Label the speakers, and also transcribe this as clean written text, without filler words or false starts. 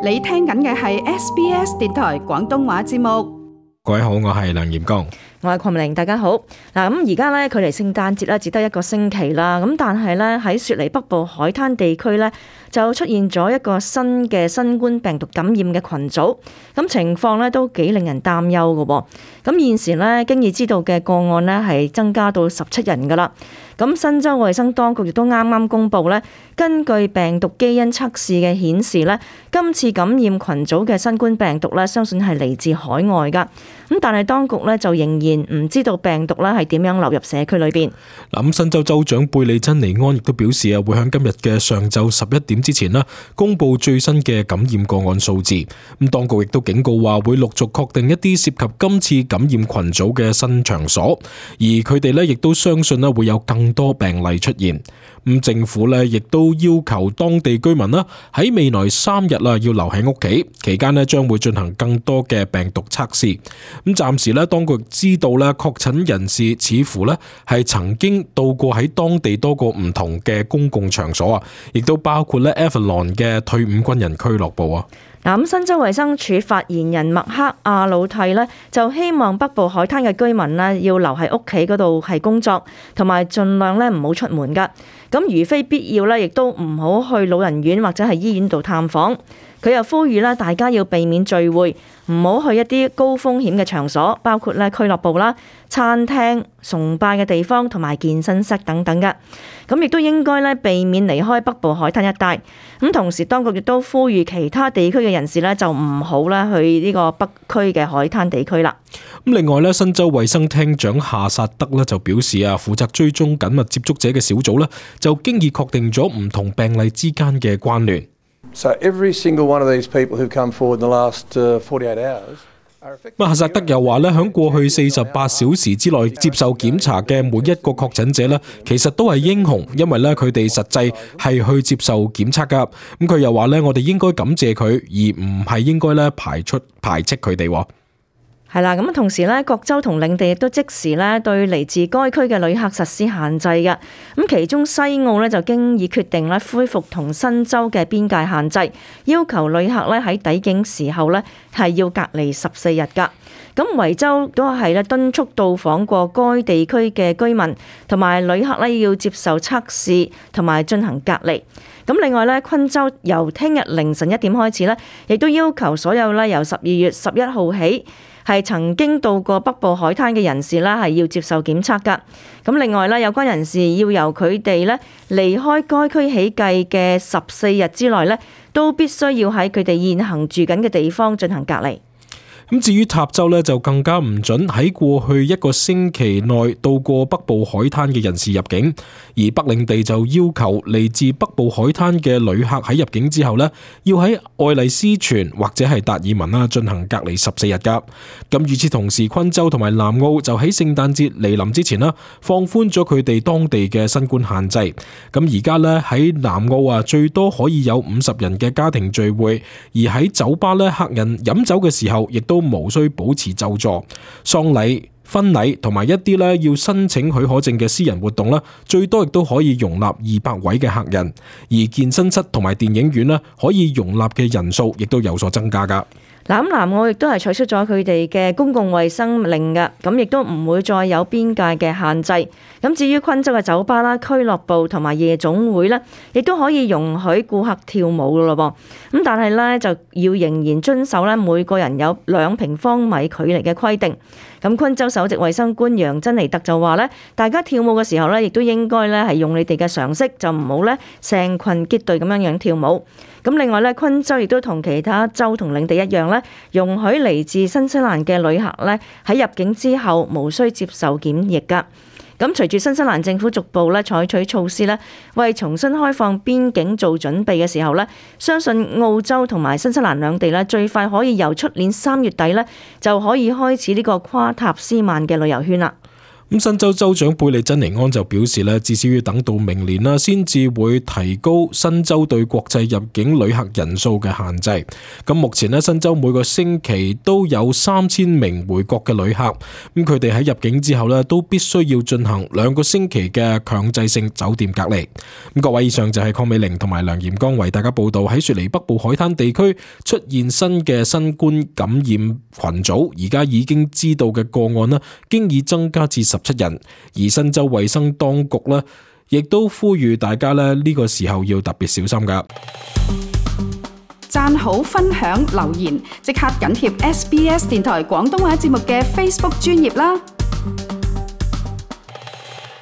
Speaker 1: 你聽緊嘅係 SBS 電台廣東話節目。
Speaker 2: 各位好，我係梁炎剛，
Speaker 3: 我係鄺明玲，大家好。嗱，咁而家咧距離聖誕節咧只得一個星期啦，咁但係咧喺雪梨北部海灘地區咧就出現咗一個新嘅新冠病毒感染嘅群組，咁情況咧都幾令人擔憂嘅。咁現時咧經已知道嘅個案咧係增加到17人噶啦。咁新州衛生當局亦都啱啱公布咧，根據病毒基因測試嘅顯示咧，今次感染群組嘅新冠病毒咧，相信係嚟自海外噶。咁但係當局咧就仍然唔知道病毒咧係點樣流入社區裏邊。
Speaker 2: 咁新州州長貝利珍尼安亦都表示會喺今日嘅上晝11點之前公布最新嘅感染個案數字。咁當局亦都警告話會陸續確定一啲涉及今次感染群組嘅新場所，而佢哋亦都相信會有更多病例出現。咁政府亦都要求當地居民喺未來3日要留喺屋企，期間將會進行更多嘅病毒測試。咁暫時當局知道確診人士似乎係曾經到過喺當地多個唔同嘅公共場所，亦都包括Avalon 嘅退伍軍人俱樂部。
Speaker 3: 咁新州衛生署發言人麥克阿魯蒂就希望北部海灘嘅居民要留喺屋企嗰度係工作，同埋盡量唔好出門噶。咁如非必要亦都唔好去老人院或者係醫院度探訪。佢又呼籲大家要避免聚會，唔好去一啲高風險嘅場所，包括俱樂部啦、餐廳、崇拜嘅地方同埋健身室等等嘅。咁亦都應該避免離開北部海灘一帶。咁同時當局亦都呼籲其他地區嘅人士就唔好去呢個北區嘅海灘地區啦。
Speaker 2: 咁另外新州衛生廳長夏薩德就表示負責追蹤緊密接觸者嘅小組就經已確定咗唔同病例之間嘅關聯。
Speaker 4: So every single one of these people who've come forward in the last 48 hours are affected.
Speaker 2: 夏薩德又話響過去48小時之內接受檢查嘅每一個確診者其實都係英雄，因為佢哋實際係去接受檢測噶。咁佢又話我哋應該感謝佢，而唔係應該排斥佢哋。
Speaker 3: 係啦，咁同時各州同領地亦都即時對嚟自該區嘅旅客實施限制嘅。咁其中西澳就經已決定恢復同新州嘅邊界限制，要求旅客喺抵境時候係要隔離14日噶。咁維州都係敦促到訪過該地區嘅居民同埋旅客要接受測試同埋進行隔離。咁另外昆州由聽日凌晨1點開始亦都要求所有由12月11號起係曾經到過北部海灘嘅人士係要接受檢測㗎。咁另外有關人士要由佢哋離開該區起計嘅14日之內都必須要喺佢哋現行住緊嘅地方進行隔離。
Speaker 2: 咁至於塔州就更加唔准喺過去一個星期內到過北部海灘嘅人士入境，而北領地就要求嚟自北部海灘嘅旅客喺入境之後要喺愛麗斯泉或者係達爾文進行隔離14日噶。咁與此同時，昆州同埋南澳就喺聖誕節嚟臨之前放寬咗佢哋當地嘅新冠限制。咁而家喺南澳最多可以有50人嘅家庭聚會，而喺酒吧客人飲酒嘅時候亦都無需保持就座。喪禮、婚禮同埋一啲要申請許可證嘅私人活動最多亦都可以容納200位嘅客人，而健身室同埋電影院可以容納嘅人數亦都有所增加噶。
Speaker 3: 南澳亦都係取消咗佢哋嘅公共衛生令嘅，咁亦都唔會再有邊界嘅限制。咁至於昆州嘅酒吧啦、俱樂部同埋夜總會亦都可以容許顧客跳舞噶咯噃。咁但係就要仍然遵守每個人有2平方米距離嘅規定。咁昆州首席衛生官楊珍妮特就話大家跳舞嘅時候亦都應該係用你哋嘅常識，就唔好成群結隊咁樣跳舞。咁另外昆州亦都同其他州同領地一樣容許嚟自新西蘭嘅旅客喺入境之後無需接受檢疫噶。咁隨住新西蘭政府逐步採取措施為重新開放邊境做準備嘅時候相信澳洲同埋新西蘭兩地最快可以由出年3月底就可以開始呢個跨塔斯曼嘅旅遊圈啦。
Speaker 2: 咁新州州長貝利珍尼安就表示咧，至少要等到明年啦，先至會提高新州對國際入境旅客人數嘅限制。咁目前咧，新州每個星期都有3000名回國嘅旅客，咁佢哋喺入境之後咧，都必須要進行2個星期嘅強制性酒店隔離。咁各位，以上就係鄺美玲同埋梁炎剛為大家報道喺雪梨北部海灘地區出現新嘅新冠感染群組，而家已經知道嘅個案呢，經已增加至17人，而新州衛生當局呢，亦都呼籲大家呢個時候要特別小心㗎。
Speaker 1: 讚好、分享、留言，即刻緊貼SBS 電台廣東話節目嘅 Facebook 專頁啦！